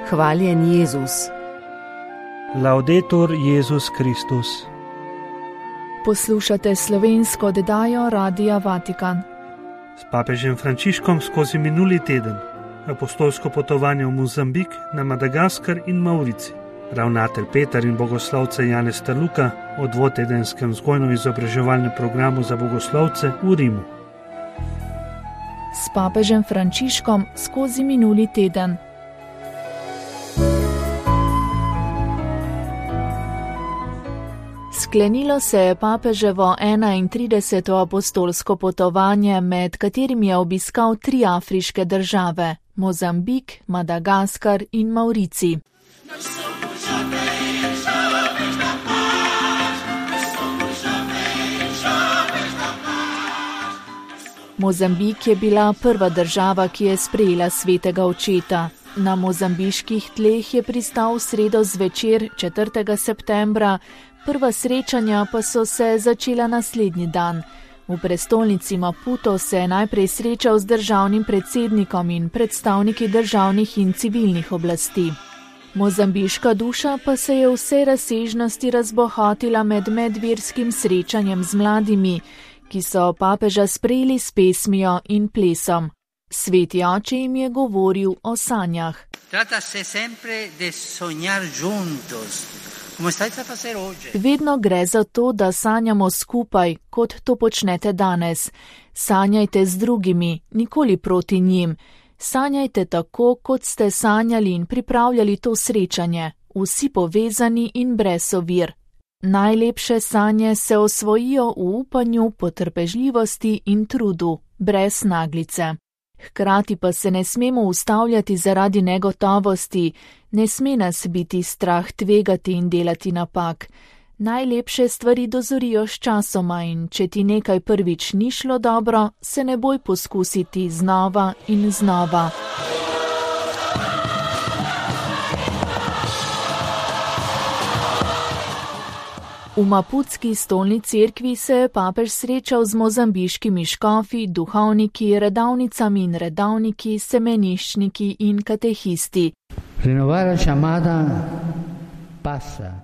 Hvaljen Jezus. Laudetur Jezus Kristus. Poslušate slovensko oddajo Radia Vatikan. S papežem Frančiškom skozi minuli teden. Apostolsko potovanje v Mozambik, na Madagaskar in Maurici. Ravnatelj Peter in bogoslovce Janez Taluka o dvotedenskem vzgojno-izobraževalnem programu za bogoslovce v Rimu. S papežem Frančiškom skozi minuli teden. Sklenilo se je papeževo 31. apostolsko potovanje, med katerim je obiskal 3 afriške države: Mozambik, Madagaskar in Maurici. Mozambik je bila prva država, ki je sprejela svetega očeta. Na mozambiških tleh je pristal v sredo zvečer 4. septembra, prva srečanja pa so se začela naslednji dan. V prestolnici Maputo se je najprej srečal z državnim predsednikom in predstavniki državnih in civilnih oblasti. Mozambiška duša pa se je v vsej razsežnosti razbohotila med medverskim srečanjem z mladimi, ki so papeža sprejeli s pesmijo in plesom. Sveti oče jim je govoril o sanjah. Vedno gre za to, da sanjamo skupaj, kot to počnete danes. Sanjajte z drugimi, nikoli proti njim. Sanjajte tako, kot ste sanjali in pripravljali to srečanje, vsi povezani in brez ovir. Najlepše sanje se osvojijo v upanju, potrpežljivosti in trudu, brez naglice. Hkrati pa se ne smemo ustavljati zaradi negotovosti, ne sme nas biti strah tvegati in delati napak. Najlepše stvari dozorijo s časoma in če ti nekaj prvič ni šlo dobro, se ne boj poskusiti znova in znova. V maputski stolni cerkvi se je papež srečal z mozambiškimi škofi, duhovniki, redavnicami in redavniki, semeniščniki in katehisti.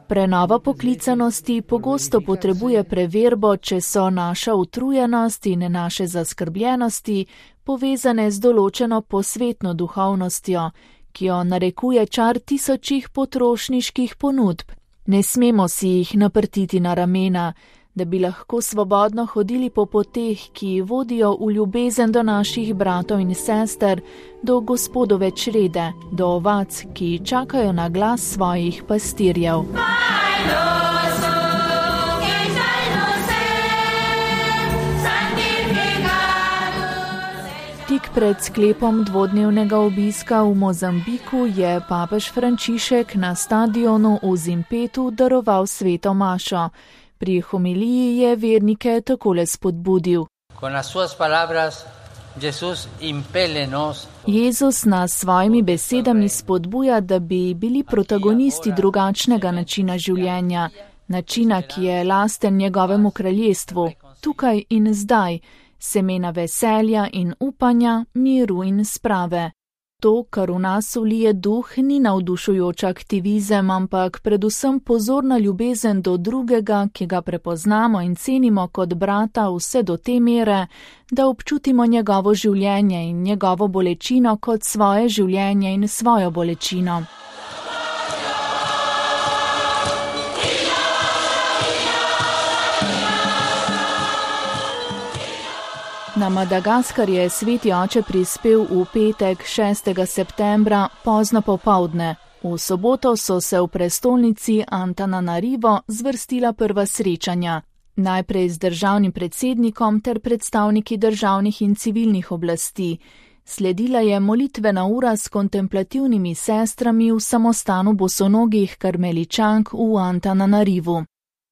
Prenova poklicanosti pogosto potrebuje preverbo, če so naša utrujenost in naše zaskrbljenosti povezane z določeno posvetno duhovnostjo, ki jo narekuje čar tisočih potrošniških ponudb. Ne smemo si jih naprtiti na ramena, da bi lahko svobodno hodili po poteh, ki vodijo v ljubezen do naših bratov in sester, do Gospodove črede, do ovac, ki čakajo na glas svojih pastirjev. Tik pred sklepom dvodnevnega obiska v Mozambiku je papež Frančišek na stadionu v Zimpetu daroval sveto mašo. Pri homiliji je vernike takole spodbudil. Jezus nas svojimi besedami spodbuja, da bi bili protagonisti drugačnega načina življenja, načina, ki je lasten njegovemu kraljestvu, tukaj in zdaj, semena veselja in upanja, miru in sprave. To, kar v nas vlije duh, ni navdušujoč aktivizem, ampak predvsem pozorna ljubezen do drugega, ki ga prepoznamo in cenimo kot brata vse do te mere, da občutimo njegovo življenje in njegovo bolečino kot svoje življenje in svojo bolečino. Na Madagaskar je sveti oče prispel v petek 6. septembra pozno popoldne. V soboto so se v prestolnici Antananarivo zvrstila prva srečanja. Najprej z državnim predsednikom ter predstavniki državnih in civilnih oblasti. Sledila je molitvena ura s kontemplativnimi sestrami v samostanu bosonogih karmeličank v Antananarivu.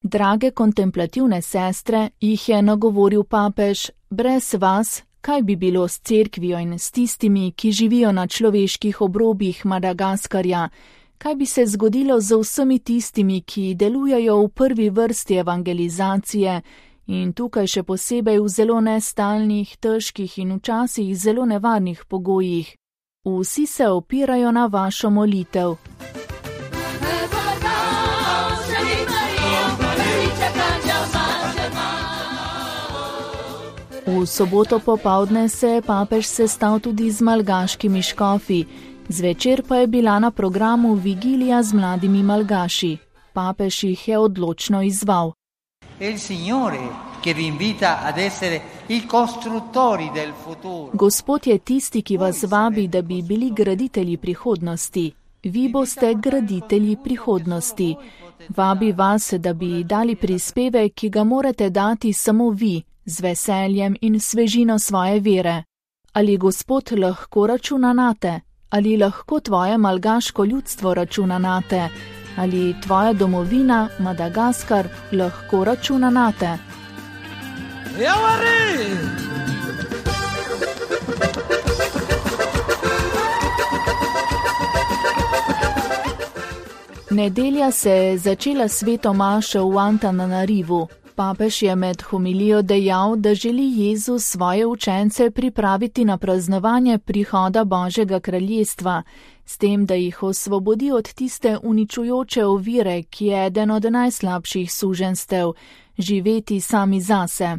Drage kontemplativne sestre, jih je nagovoril papež, brez vas, kaj bi bilo s cerkvijo in s tistimi, ki živijo na človeških obrobjih Madagaskarja, kaj bi se zgodilo z vsemi tistimi, ki delujejo v prvi vrsti evangelizacije in tukaj še posebej v zelo nestalnih, težkih in včasih zelo nevarnih pogojih. Vsi se opirajo na vašo molitev. V soboto popoldne se je papež sestal tudi z malgaškimi škofi, zvečer pa je bila na programu vigilija z mladimi malgaši. Papež jih je odločno izzval. Gospod je tisti, ki vas vabi, da bi bili graditelji prihodnosti. Vi boste graditelji prihodnosti. Vabi vas, da bi dali prispevek, ki ga morate dati samo vi, z veseljem in svežino svoje vere. Ali Gospod lahko računa nate? Ali lahko tvoje malgaško ljudstvo računa nate? Ali tvoja domovina, Madagaskar, lahko računa nate? Nedelja se je začela sveto mašo v Antananarivu. Papež je med homilijo dejal, da želi Jezus svoje učence pripraviti na praznovanje prihoda Božjega kraljestva, s tem, da jih osvobodi od tiste uničujoče ovire, ki je eden od najslabših suženjstev, živeti sami zase.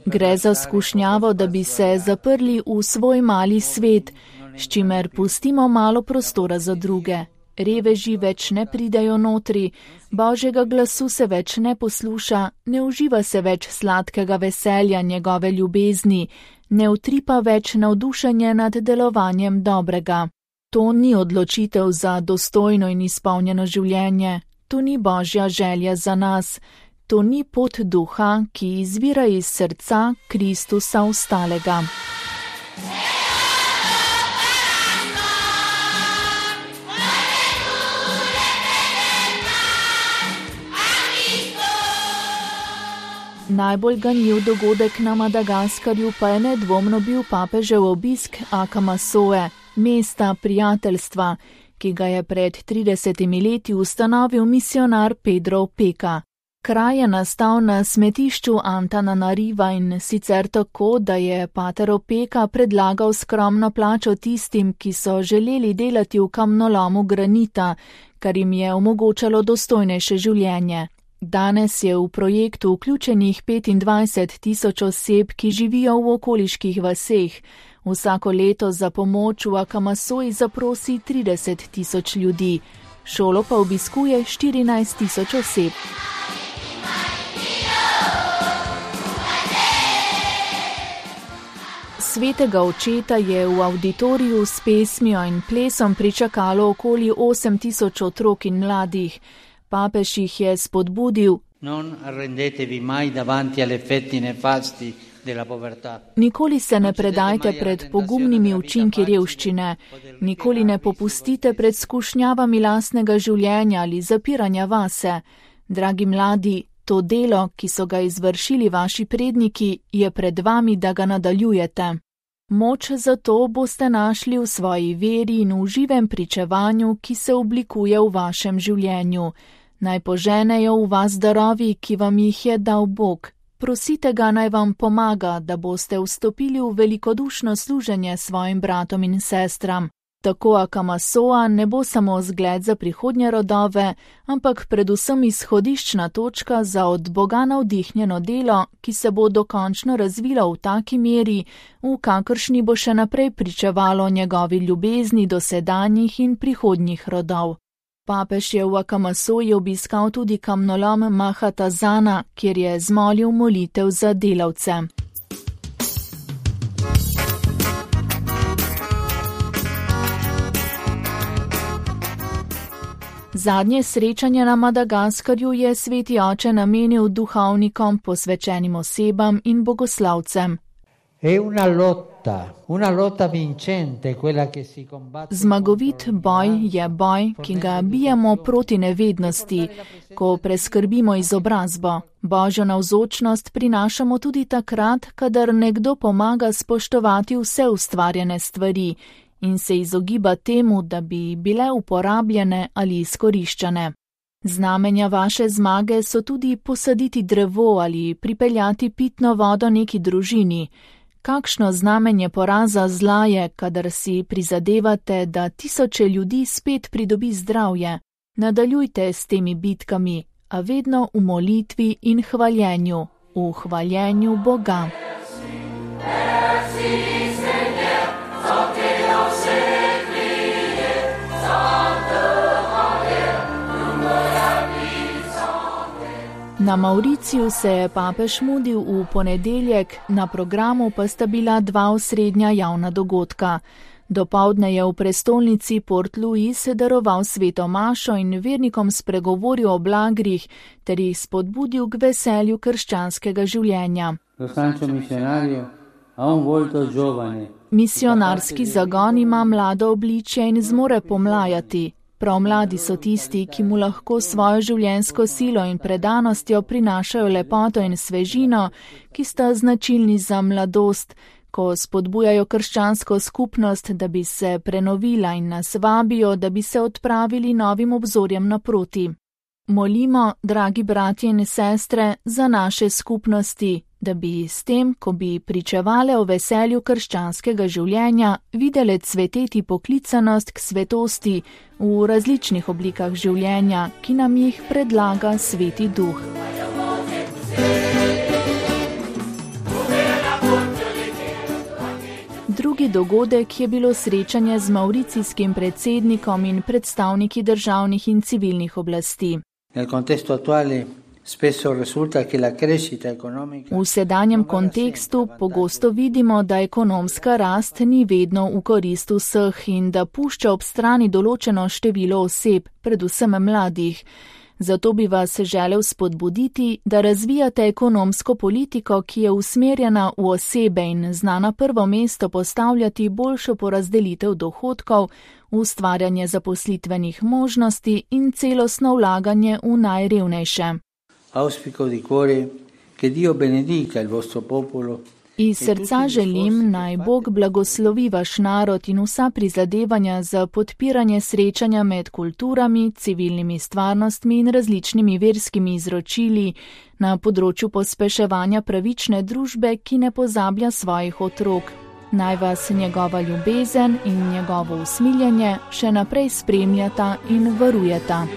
Gre za skušnjavo, da bi se zaprli v svoj mali svet, s čimer pustimo malo prostora za druge. Reveži več ne pridajo notri, Božjega glasu se več ne posluša, ne uživa se več sladkega veselja njegove ljubezni, ne utripa več navdušenje nad delovanjem dobrega. To ni odločitev za dostojno in izpolnjeno življenje, to ni Božja želja za nas, to ni pot duha, ki izvira iz srca Kristusa ostalega. Najbolj ganljiv dogodek na Madagaskarju pa je nedvomno bil papežev obisk Akamasoe, mesta prijateljstva, ki ga je pred 30 leti ustanovil misionar Pedro Opeka. Kraj je nastal na smetišču Antananariva in sicer tako, da je pater Opeka predlagal skromno plačo tistim, ki so želeli delati v kamnolomu granita, kar jim je omogočalo dostojnejše življenje. Danes je v projektu vključenih 25.000 oseb, ki živijo v okoliških vaseh. Vsako leto za pomoč v Akamasoji zaprosi 30.000 ljudi. Šolo pa obiskuje 14.000 oseb. Svetega očeta je v avditoriju s pesmijo in plesom pričakalo okoli 8.000 otrok in mladih. Papež jih je spodbudil: Nikoli se ne predajte pred pogumnimi učinki revščine, nikoli ne popustite pred skušnjavami lastnega življenja ali zapiranja vase. Dragi mladi, to delo, ki so ga izvršili vaši predniki, je pred vami, da ga nadaljujete. Moč za to boste našli v svoji veri in v živem pričevanju, ki se oblikuje v vašem življenju. Naj poženejo v vas darovi, ki vam jih je dal Bog. Prosite ga, naj vam pomaga, da boste vstopili v velikodušno služenje svojim bratom in sestram. Tako Akamasoa ne bo samo zgled za prihodnje rodove, ampak predvsem izhodiščna točka za od Boga navdihnjeno delo, ki se bo dokončno razvilo v taki meri, v kakršni bo še naprej pričevalo njegovi ljubezni do sedanjih in prihodnjih rodov. Papež je v Akamasoji obiskal tudi kamnolom Mahatazana, kjer je zmolil molitev za delavce. Zadnje srečanje na Madagaskarju je sveti oče namenil duhovnikom, posvečenim osebam in bogoslavcem. Zmagovit boj je boj, ki ga bijemo proti nevednosti, ko preskrbimo izobrazbo. Božjo navzočnost prinašamo tudi takrat, kadar nekdo pomaga spoštovati vse ustvarjene stvari in se izogiba temu, da bi bile uporabljene ali izkoriščane. Znamenja vaše zmage so tudi posaditi drevo ali pripeljati pitno vodo neki družini. Kakšno znamenje poraza zla je, kadar si prizadevate, da tisoče ljudi spet pridobi zdravje? Nadaljujte s temi bitkami, a vedno v molitvi in hvaljenju, v hvaljenju Boga. Na Mauriciju se je papež mudil v ponedeljek, na programu pa sta bila dva osrednja javna dogodka. Dopoldne je v prestolnici Port Louis daroval sveto mašo in vernikom spregovoril o blagrih ter jih spodbudil k veselju krščanskega življenja. Misionarski zagon ima mlado obličje in zmore pomlajati. Prav mladi so tisti, ki mu lahko svojo življenjsko silo in predanostjo prinašajo lepoto in svežino, ki sta značilni za mladost, ko spodbujajo krščansko skupnost, da bi se prenovila in nas vabijo, da bi se odpravili novim obzorjem naproti. Molimo, dragi bratje in sestre, za naše skupnosti, da bi s tem, ko bi pričevale o veselju krščanskega življenja, videle cveteti poklicanost k svetosti v različnih oblikah življenja, ki nam jih predlaga Sveti Duh. Drugi dogodek je bilo srečanje z mauricijskim predsednikom in predstavniki državnih in civilnih oblasti. V sedanjem kontekstu pogosto vidimo, da ekonomska rast ni vedno v korist vseh in da pušča ob strani določeno število oseb, predvsem mladih. Zato bi vas želel spodbuditi, da razvijate ekonomsko politiko, ki je usmerjena v osebe in zna na prvo mesto postavljati boljšo porazdelitev dohodkov, ustvarjanje zaposlitvenih možnosti in celostno vlaganje v najrevnejše. Iz srca želim, naj Bog blagoslovi vaš narod in vsa prizadevanja za podpiranje srečanja med kulturami, civilnimi stvarnostmi in različnimi verskimi izročili na področju pospeševanja pravične družbe, ki ne pozablja svojih otrok. Naj vas njegova ljubezen in njegovo usmiljenje še naprej spremljata in varujeta.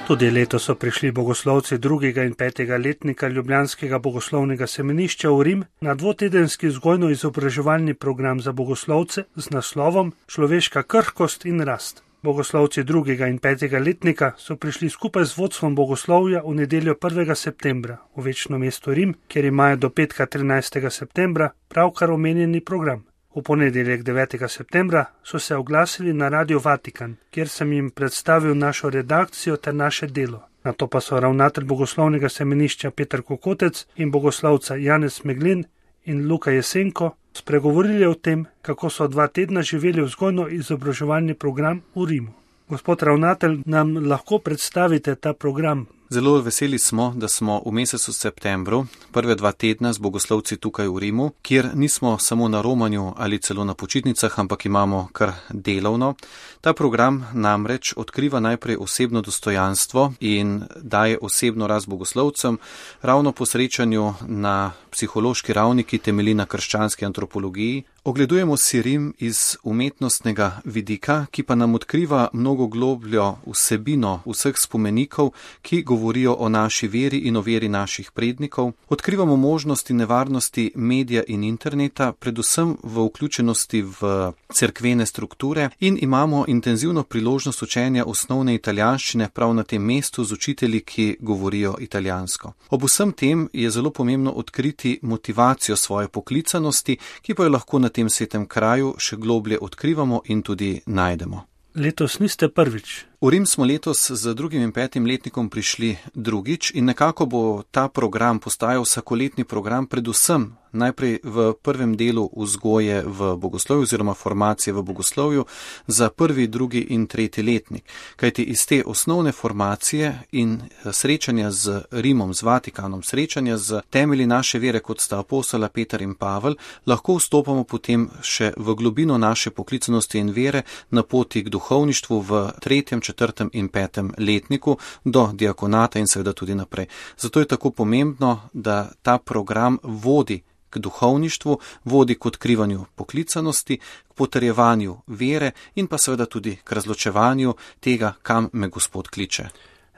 Tudi letos so prišli bogoslovci 2. in 5. letnika Ljubljanskega bogoslovnega semenišča v Rim na dvotedenski vzgojno-izobraževalni program za bogoslovce z naslovom Človeška krhkost in rast. Bogoslovci 2. in 5. letnika so prišli skupaj z vodstvom bogoslovja v nedeljo 1. septembra v večno mesto Rim, kjer imajo do petka 13. septembra pravkar omenjeni program. V ponedeljek 9. septembra so se oglasili na Radio Vatikan, kjer sem jim predstavil našo redakcijo ter naše delo. Nato pa so ravnatelj bogoslovnega semenišča Peter Kokotec in bogoslovca Janez Meglin in Luka Jesenko spregovorili o tem, kako so 2 tedna živeli vzgojno-izobraževalni program v Rimu. Gospod ravnatelj, nam lahko predstavite ta program? Zelo veseli smo, da smo v mesecu septembru, prve 2 tedna z bogoslovci tukaj v Rimu, kjer nismo samo na romanju ali celo na počitnicah, ampak imamo kar delovno. Ta program namreč odkriva najprej osebno dostojanstvo in daje osebno rast bogoslovcem, ravno po srečanju na psihološki ravni, ki temelji na krščanski antropologiji. Ogledujemo si Rim iz umetnostnega vidika, ki pa nam odkriva mnogo globljo vsebino vseh spomenikov, ki govorijo o naši veri in o veri naših prednikov. Odkrivamo možnosti in nevarnosti medija in interneta, predvsem v vključenosti v cerkvene strukture in imamo intenzivno priložnost učenja osnovne italijanščine prav na tem mestu z učitelji, ki govorijo italijansko. Ob vsem tem je zelo pomembno odkriti motivacijo svoje poklicanosti, ki pa jo lahko na tem svetem kraju še globlje odkrivamo in tudi najdemo. Letos niste prvič. V Rim smo letos z 2. in 5. letnikom prišli drugič in nekako bo ta program postajal vsakoletni program predvsem najprej v prvem delu vzgoje v bogoslovju oziroma formacije v bogoslovju za 1., 2. in 3. letnik. Kajti iz te osnovne formacije in srečanja z Rimom, z Vatikanom, srečanja z temelji naše vere, kot sta apostola Peter in Pavel, lahko vstopamo potem še v globino naše poklicanosti in vere na poti k duhovništvu v 3., 4. in 5. letniku do diakonata in seveda tudi naprej. Zato je tako pomembno, da ta program vodi k duhovništvu, vodi k odkrivanju poklicanosti, k potrjevanju vere in pa seveda tudi k razločevanju tega, kam me Gospod kliče.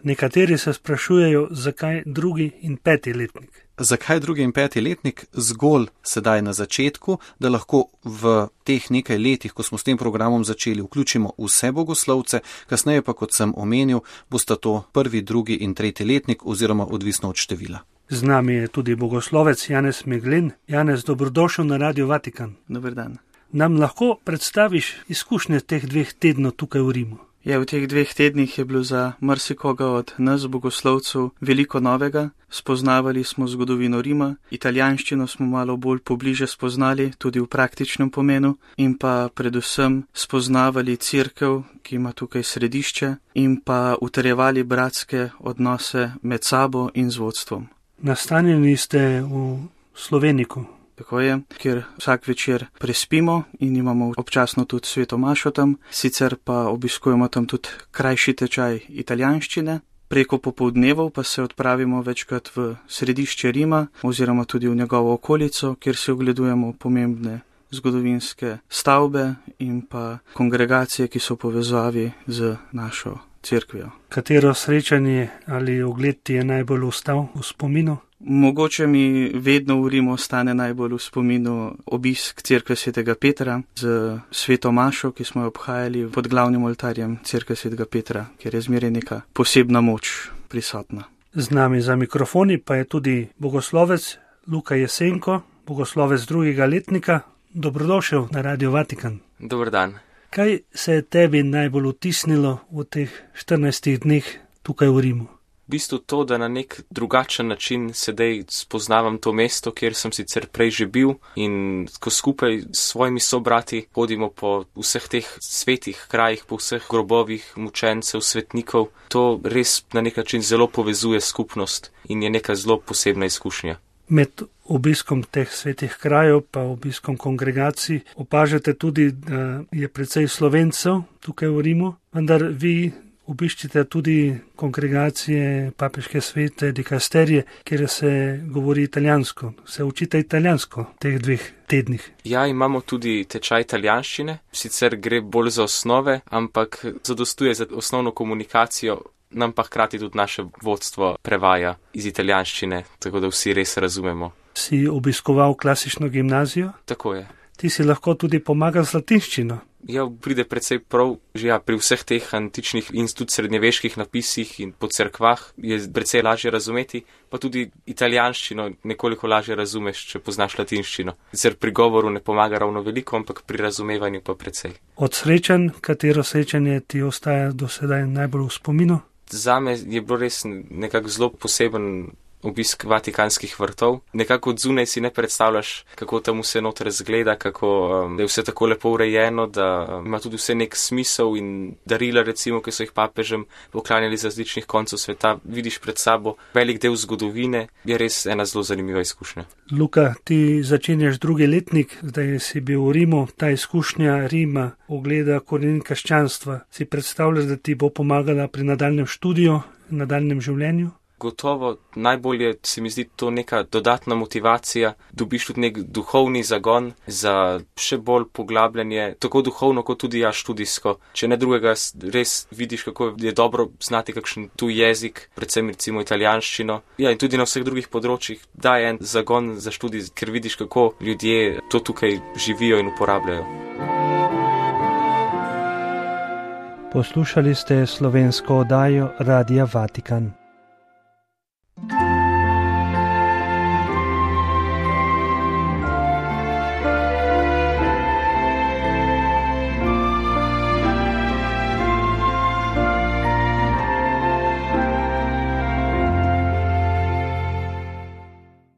Nekateri se sprašujejo, zakaj 2. in 5. letnik. Zakaj 2. in 5. letnik? Zgolj sedaj na začetku, da lahko v teh nekaj letih, ko smo s tem programom začeli, vključimo vse bogoslovce, kasneje pa, kot sem omenil, bosta to 1., 2. in 3. letnik oziroma odvisno od števila. Z nami je tudi bogoslovec Janez Meglin. Janez, dobrodošel na Radio Vatikan. Dober dan. Nam lahko predstaviš izkušnje teh 2 tednov tukaj v Rimu? V teh 2 tednih je bilo za marsikoga od nas, bogoslovcev, veliko novega. Spoznavali smo zgodovino Rima, italijanščino smo malo bolj pobliže spoznali, tudi v praktičnem pomenu, in pa predvsem spoznavali cerkev, ki ima tukaj središče, in pa utrjevali bratske odnose med sabo in z vodstvom. Nastanjeni ste v Sloveniku. Tako je, kjer vsak večer prespimo in imamo občasno tudi sveto mašo tam, sicer pa obiskujemo tam tudi krajši tečaj italijanščine. Preko popoldnevov pa se odpravimo večkrat v središče Rima oziroma tudi v njegovo okolico, kjer se ogledujemo pomembne zgodovinske stavbe in pa kongregacije, ki so povezavi z našo cerkvijo. Katero srečanje ali ogled ti je najbolj ostal v spominu? Mogoče mi vedno v Rimu ostane najbolj v spominu obisk cerkve svetega Petra z sveto mašo, ki smo jo obhajali pod glavnim oltarjem cerkve svetega Petra, kjer je zmeraj neka posebna moč prisotna. Z nami za mikrofoni pa je tudi bogoslovec Luka Jesenko, bogoslovec 2. letnika. Dobrodošel na Radio Vatikan. Dober dan. Kaj se je tebi najbolj vtisnilo v teh 14 dneh tukaj v Rimu? V bistvu to, da na nek drugačen način sedaj spoznavam to mesto, kjer sem sicer prej že bil, in ko skupaj s svojimi sobrati hodimo po vseh teh svetih krajih, po vseh grobovih mučencev, svetnikov, to res na nek način zelo povezuje skupnost in je neka zelo posebna izkušnja. Med obiskom teh svetih krajev pa obiskom kongregacij opažate tudi, da je precej Slovencev tukaj v Rimu, vendar vi obiščite tudi kongregacije, papeške svete, dikasterije, kjer se govori italijansko. Se učite italijansko v teh 2 tednih? Ja, imamo tudi tečaj italijanščine, sicer gre bolj za osnove, ampak zadostuje za osnovno komunikacijo, nam pa hkrati tudi naše vodstvo prevaja iz italijanščine, tako da vsi res razumemo. Si obiskoval klasično gimnazijo? Tako je. Ti si lahko tudi pomagal z latinščino. Ja, pride precej prav, že pri vseh teh antičnih in tudi srednjeveških napisih in po cerkvah je precej lažje razumeti, pa tudi italijanščino nekoliko lažje razumeš, če poznaš latinščino. Sicer pri govoru ne pomaga ravno veliko, ampak pri razumevanju pa precej. Od srečanj, katero srečanje ti ostaja do sedaj najbolj v spominu? Zame je bilo res nekako zelo poseben obisk Vatikanskih vrtov. Nekako od zunaj si ne predstavljaš, kako tam vse noter zgleda, kako da je vse tako lepo urejeno, da ima tudi vse nek smisel in darila, recimo, ki so jih papežem poklanjali z različnih koncev sveta. Vidiš pred sabo velik del zgodovine, je res ena zelo zanimiva izkušnja. Luka, ti začenjaš 2. letnik, zdaj si bil v Rimu, ta izkušnja Rima, ogleda korenin krščanstva. Si predstavljaš, da ti bo pomagala pri nadaljnjem študiju, nadaljnjem življenju? Gotovo najbolje se mi zdi to neka dodatna motivacija, dobiš tudi nek duhovni zagon za še bolj poglabljanje, tako duhovno kot tudi študijsko. Če ne drugega, res vidiš, kako je dobro znati kakšen tuj jezik, predvsem recimo italijanščino. Ja, in tudi na vseh drugih področjih daje en zagon za študij, ker vidiš, kako ljudje to tukaj živijo in uporabljajo. Poslušali ste slovensko oddajo Radia Vatikan.